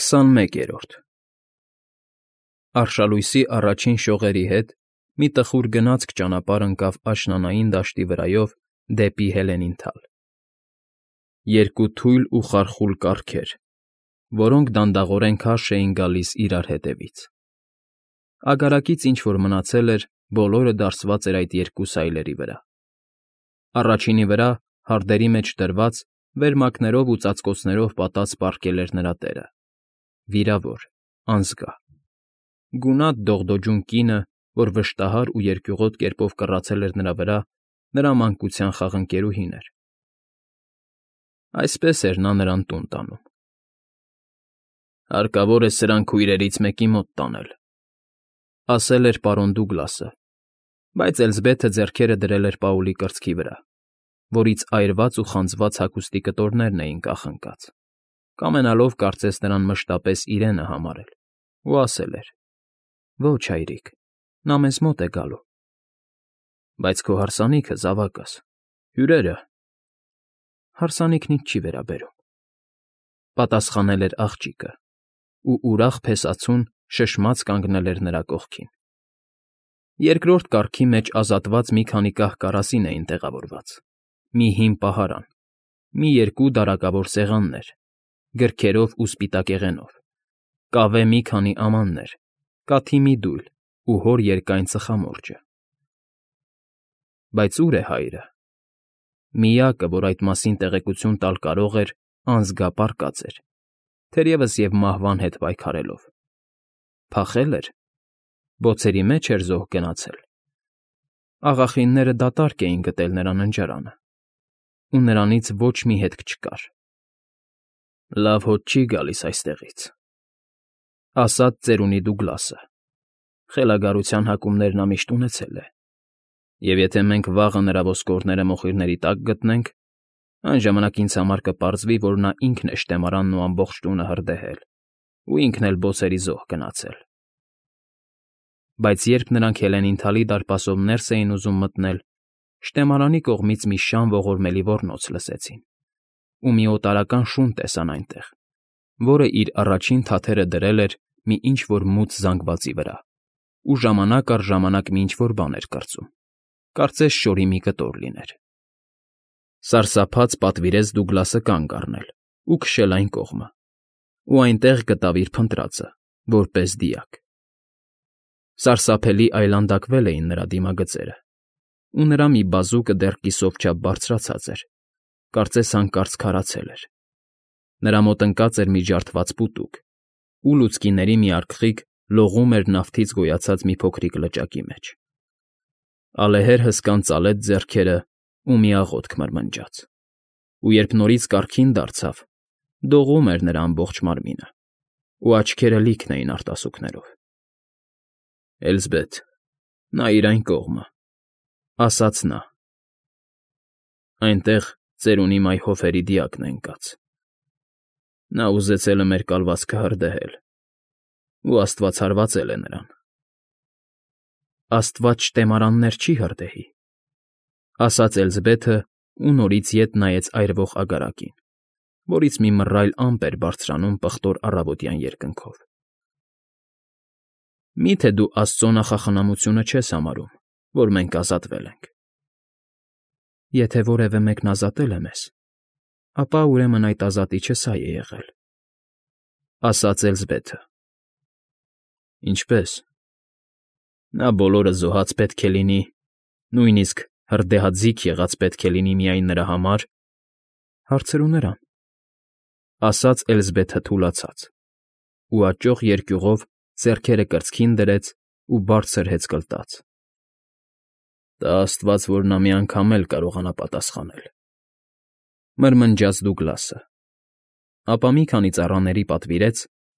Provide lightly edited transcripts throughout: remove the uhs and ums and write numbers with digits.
21-րդ Արշալույսի առաջին շողերի հետ մի տխուր գնացք ճանապարհ ընկավ աշնանային դաշտի վրայով դեպի Հելենինդալ. երկու թույլ ու խարխուլ կառքեր, որոնք դանդաղորեն քարշ էին գալիս իրար հետևից. Ագարակից ինչ-որ մնացել էր, բոլորը դարսված էր այդ երկու սայլերի վրա. առաջինի վրա, հարդերի մեջ դրված, վերմակներով ու ծածկոցներով պատած պառկել էր նրա տերը, վիրավոր, անզգա, գունատ դողդոջուն կինը, որ վշտահար ու երկյուղոտ կերպով կռացել էր նրա վրա, նրա մանկության խաղընկերուհին էր. այսպես էր նա նրան տուն տանում. «Հարկավոր է սրանք քույրերից մեկի մոտ տանել», ասել էր պարոն Դուգլասը, բայց Էլզբեթը ձեռքերը դրել էր Պաուլի կրծքի վրա, որից այրված ու խանձված հագուստի կտորներն էին կախ ընկած, կամենալով կարծես նրան մշտապես իրենը համարել, ու ասել էր. «Ոչ, հայրիկ, նա մեզ մոտ է գալու»։ «Բայց քո հարսանիքը, զավակս, հյուրերը»։ «Հարսանիքն ինձ չի վերաբերում», պատասխանել էր աղջիկը, ու ուրախ փեսացուն շշմած կանգնել էր նրա կողքին։ Երկրորդ կառքի մեջ ազատված մի քանի կահ֊կարասին էին տեղավորված, մի հին պահարան, մի երկու դարակավոր սեղաններ, գրքերով ու սպիտակեղենով, կավե մի քանի ամաններ, կաթի մի դույլ ու հոր երկայն ծխամորճը։ Բայց ո՞ւր է հայրը։ Միակը, որ այդ մասին տեղեկություն տալ կարող էր, անզգա պառկած էր, թերևս և մահվան հետ պայքարելով։ Փախե՞լ էր, բոցերի մեջ էր զոհ գնացել։ Աղախինները դատարկ էին գտել նրա ննջարանը, ու նրանից ոչ մի հետք չկար։ «Լավ հոտ չի գալիս այստեղից», ասաց ծերունի Դուգլասը, «խելագարության հակումներ նա միշտ ունեցել է, և եթե մենք վաղը նրա ոսկորները մոխիրների տակ գտնենք, այն ժամանակ ինձ համար կպարզվի, որ նա ինքն է շտեմարանն ու ամբողջ տունը հրդեհել, ու ինքն էլ բոցերի զոհ գնացել»։ Բայց երբ նրանք Հելենինդալի դարպասով ներս էին ուզում մտնել, շտեմարանի կողմից մի շան ողորմելի ոռնոց լսեցին, ու մի օտարական շուն տեսան այնտեղ, որը իր առաջին թաթերը դրել էր մի ինչ֊որ մութ զանգվածի վրա, ու ժամանակ առ ժամանակ մի ինչ֊որ բան էր կրծում, կարծես շորի մի կտոր լիներ։ Սարսափած պատվիրեց Դուգլասը կանգ առնել ու քշել այն կողմը, ու այնտեղ գտավ իր փնտրածը, որպես դիակ։ Սարսափելի այլանդակվել էին նրա դիմագծերը, ու նրա մի բազուկը դեռ կիսով չափ բարձրացած էր, կարծես հանկարծ քարացել էր։ Նրա մոտ ընկած էր մի ջարդված պուտուկ, ու լուցկիների մի արգղիկ լողում էր նավթից գոյացած մի փոքրիկ լճակի մեջ։ Ալեհեր հսկան ծալեց ձեռքերը ու մի աղոթք մրմնջաց, ու երբ նորից կառքին դարձավ, դողում էր նրա ամբողջ մարմինը, ու աչքերը լիքն էին արտասուքներով։ «Էլզբեթ, նայիր այն կողմը», ասաց նա։ «Այնտեղ ծերունի մայհոֆերի դիակն է ընկած։ Նա ուզեցել է մեր կալվածքը հրդեհել, ու աստված հարվածել է նրան»։ «Աստված շտեմարաններ չի հրդեհի», ասաց Էլզբեթը ու նորից ետ նայեց այրվող ագարակին, որից մի մռայլ ամպ էր բարձրանում պղտոր առավոտյան երկնքով։ «Մի՞թե դու աստծո նախախնամությունը չես համարում, որ մենք ազատվել ենք»։ «Եթե որևէ մեկն ազատել է մեզ, ապա ուրեմն այդ ազատիչը սա է եղել», ասաց Էլզբեթը։ «Ինչպե՞ս։ Նա բոլորը զոհած պետք է լինի, նույնիսկ հրդեհաձիգ եղած պետք է լինի միայն նրա համար»։ «Հարցրու նրան», ասաց Էլզբեթը թուլացած, ու աճող երկյուղով ձեռքերը կրծքին դրեց ու բարձր հեծկլտաց։ «Տա աստված, որ նա մի անգամ էլ կարողանա պատասխանել», մրմնջաց Դուգլասը, ապա մի քանի ծառաների պատվիրեց,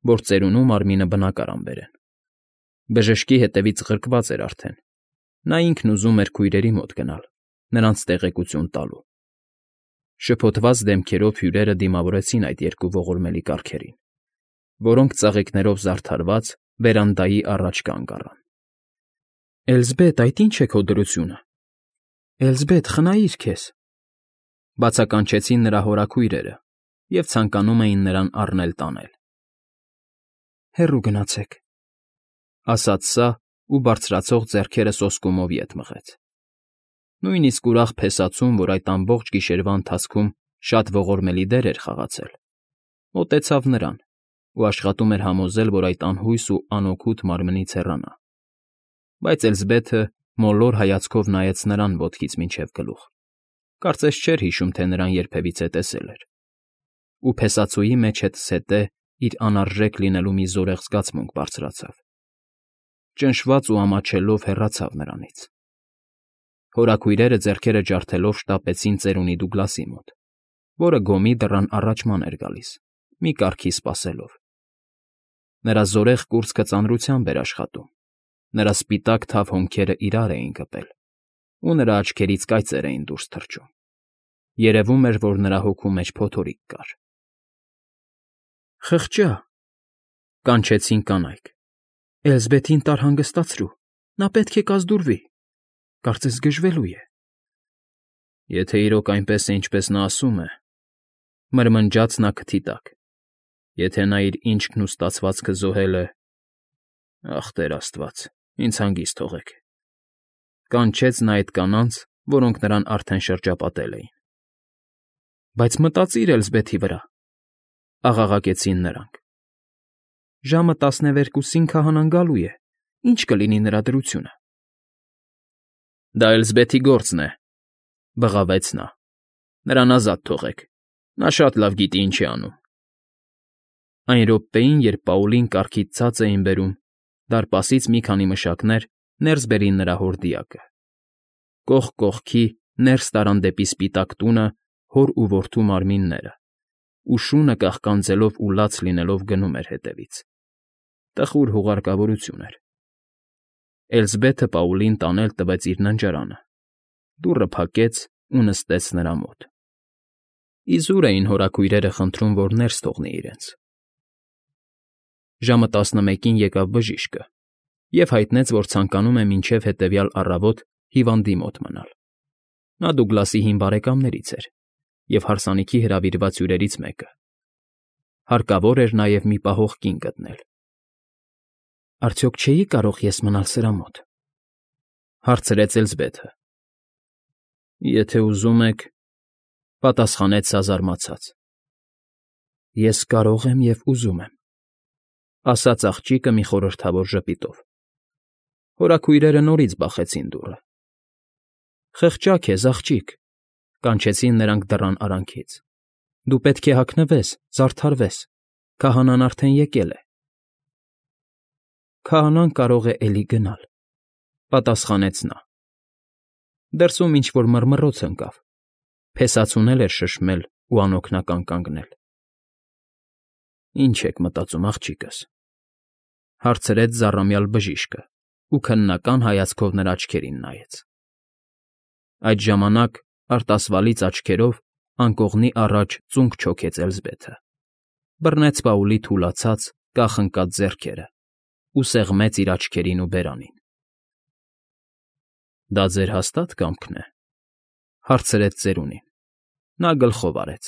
որ ծերունու մարմինը բնակարան բերեն։ Բժշկի հետևից ղրկված էր արդեն, նա ինքն ուզում էր քույրերի մոտ գնալ, նրանց տեղեկություն տալու։ Շփոթված դեմքերով հյուրերը դիմավորեցին այդ երկու ողորմելի կառքերին, որոնք ծաղիկներով զարդարված վերանդայի առաջ կանգ առան։ «Էլզբեթ, այդ ի՞նչ է քո դրությունը։ Էլզբեթ, խնայիր քեզ», բացականչեցին նրա հորաքույրերը և ցանկանում էին նրան առնել տանել։ Հեռու գնացեք, ասաց սա ու բարձրացող ձեռքերը սոսկումով ետ մղեց։ Նույնիսկ ուրախ փեսացուն, որ այդ ամբողջ գիշերվա ընթացքում շատ ողորմելի դեր էր խաղացել, մոտեցավ նրան ու աշխատում էր համոզել, որ այդ անհույս ու անօգուտ մարմնից հեռանա։ Բայց Էլզբեթը մոլոր հայացքով նայեց նրան ոտքից մինչև գլուխ, կարծես չէր հիշում, թե նրան երբևիցե տեսել էր, ու փեսացուի մեջ հետզհետե իր անարժեք լինելու մի զորեղ զգացմունք բարձրացավ։ Ճնշված ու ամաչելով հեռացավ նրանից։ Հորաքույրերը ձեռքերը ջարդելով շտապեցին ծերունի Դուգլասի մոտ, որը գոմի դռան առաջ ման էր գալիս, մի կարգի սպասելով։ Նրա զորեղ կուրծքը ծանրությամբ էր աշխատում, նրա սպիտակ թավ հոնքերը իրար էին կպել, ու նրա աչքերից կայծեր էին դուրս թռչում։ Երևում էր, որ նրա հոգու մեջ փոթորիկ կար։ «Խղճա», կանչեցին կանայք։ «Էլզբեթին տար հանգստացրու, նա պետք է կազդուրվի, կարծես գժվելու է»։ «Եթե իրոք այնպես է, ինչպես նա ասում է,֊ մրմնջաց նա քթի տակ,֊ եթե նա իր ինքն ու ստացվածքը զոհել է, ախ, Տեր աստված, ինձ հանգիստ թողեք», կանչեց նա այդ կանանց, որոնք նրան արդեն շրջապատել էին։ «Բայց մտածիր Էլզբեթի վրա,֊ աղաղակեցին նրանք։ «Ժամը 12-ին քահանան գալու է, ի՞նչ կլինի նրա դրությունը»։ «Դա Էլզբեթի գործն է,֊ բղավեց նա,֊ նրան ազատ թողեք, նա շատ լավ գիտի ինչ է անում»։ Այն րոպեին, երբ Պաուլին կառքից ցած էին բերում, դարպասից մի քանի մշակներ ներս բերին նրա հորդիակը։ Կողք կողքի ներս տարան դեպի սպիտակ տունը հոր ու որդու մարմինները, ու շունը կաղկանձելով ու լաց լինելով գնում էր հետևից։ Տխուր հուղարկավորություն էր։ Էլզբեթը Պաուլին տանել տվեց իր ննջարանը, դուռը փակեց ու նստեց նրա մոտ։ Իզուր էին հորաքույրերը խնդրում, որ ներս թողնի իրենց։ Ժամը 11-ին եկավ բժիշկը և հայտնեց, որ ցանկանում է մինչև հետևյալ առավոտ հիվանդի մոտ մնալ։ Նա Դուգլասի հին բարեկամներից էր և հարսանիքի հրավիրված հյուրերից մեկը։ Հարկավոր էր նաև մի պահող կին գտնել։ «Արդյոք չէի՞ կարող ես մնալ սրա մոտ,֊ հարցրեց Էլզբեթը։ «Եթե ուզում եք,֊ պատասխանեց սա զարմացած։ Ես կարող եմ և ուզում եմ,֊ ասաց աղջիկը մի խորհրդավոր ժպիտով։ Հորաքույրերը նորից բախեցին դուռը։ «Խղճա քեզ, աղջիկ,֊ կանչեցին նրանք դռան արանքից,֊ դու պետք է հագնվես, զարդարվես, քահանան արդեն եկել է»։ «Քահանան կարող է էլի գնալ,֊ պատասխանեց նա։ Դրսում ինչ֊որ մռմռոց ընկավ, փեսացուն էլ էր շշմել ու անօգնական կանգնել։ «Ինչ եք մտածում, աղջիկս,֊ հարցրեց զառամյալ բժիշկը ու քննական հայացքով նրա աչքերին նայեց։ Այդ ժամանակ արտասվալից աչքերով անկողնի առաջ ծունկ չոքեց Էլզբեթը, բռնեց Պաուլի թուլացած, կախ ընկած ձեռքերը ու սեղմեց իր աչքերին ու բերանին։ «Դա ձեր հաստա՞տ կամքն է,֊ հարցրեց ծերունին։ Նա գլխով արեց։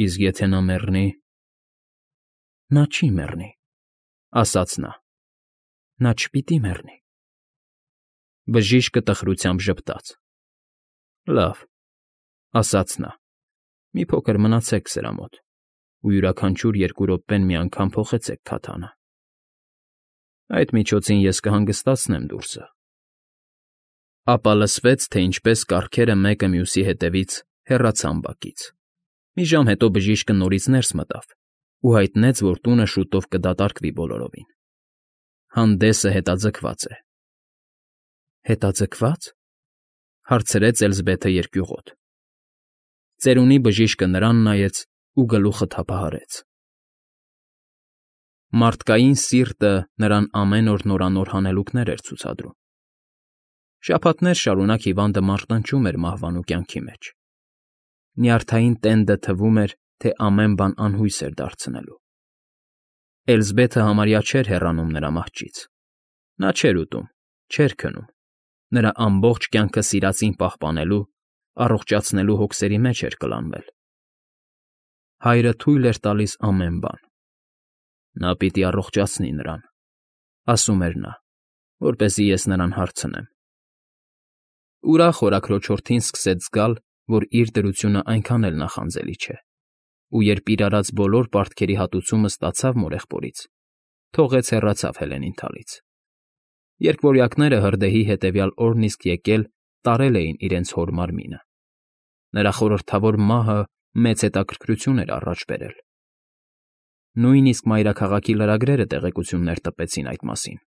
«Իսկ եթե նա մեռնի»։ «Նա չի մեռնի,֊ ասաց նա,֊ նա չպիտի մեռնի»։ Բժիշկը տխրությամբ ժպտաց։ «Լավ,֊ ասաց նա,֊ մի փոքր մնացեք սրա մոտ ու յուրաքանչյուր 2 րոպեն մի անգամ փոխեցեք քաթանը։ Այդ միջոցին ես կհանգստացնեմ դուրսը»։ Ապա լսվեց, թե ինչպես կառքերը մեկը մյուսի հետևից հեռացան բակից։ Մի ժամ հետո բժիշկը նորից ներս մտավ ու հայտնեց, որ տունը շուտով կդատարկվի բոլորովին։ Հանդեսը հետաձգված է։ «Հետաձգվա՞ծ,֊ հարցրեց Էլզբեթը երկյուղոտ։ Ծերունի բժիշկը նրան նայեց ու գլուխը թափահարեց։ Մարդկային սիրտը նրան ամեն օր նորանոր հանելուկներ էր ցուցադրում։ Շաբաթներ շարունակ հիվանդը մարտնչում էր մահվան ու կյանքի մեջ։ Նյարդային տենդը թվում էր, թե ամեն բան անհույս էր դարձնելու։ Էլզբեթը համարյա չէր հեռանում նրա մահճից։ Նա չէր ուտում, չէր քնում։ Նրա ամբողջ կյանքը սիրածին պահպանելու, առողջացնելու հոգսերի մեջ էր կլանվել։ Հայրը թույլ էր տալիս ամեն բան։ Նա պիտի առողջացնի նրան, ասում էր նա, որպեսզի ես նրան հարցնեմ։ Ուրախ հորաքրոջորդին սկսեց զգալ, որ իր դրությունն այնքան էլ նախանձելի չէ, ու երբ իր արած բոլոր պարտքերի հատուցումը ստացավ մորեղբորից, թողեց հեռացավ Հելենին թալից։ Երկվորյակները հրդեհի հետևյալ օրն իսկ եկել տարել էին իրենց հոր մարմինը։ Նրա խորհրդավոր մահը մեծ հետաքրքրություն էր առաջ բերել։ Նույնիսկ մայրաքաղաքի լրագրերը տեղեկություններ տպեցին այդ մասին,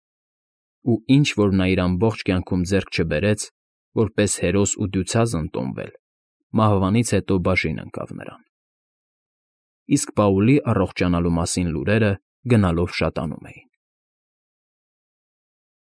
ու ինչ որ նա իր ամբողջ կյանքում ձեռք չբերեց, որպես հերոս ու դյուցаз ընդունվել, մահվանից հետո բաժին ընկավ նրան։ Իսկ Պաուլի առողջանալու մասին լուրերը գնալով շատանում էին։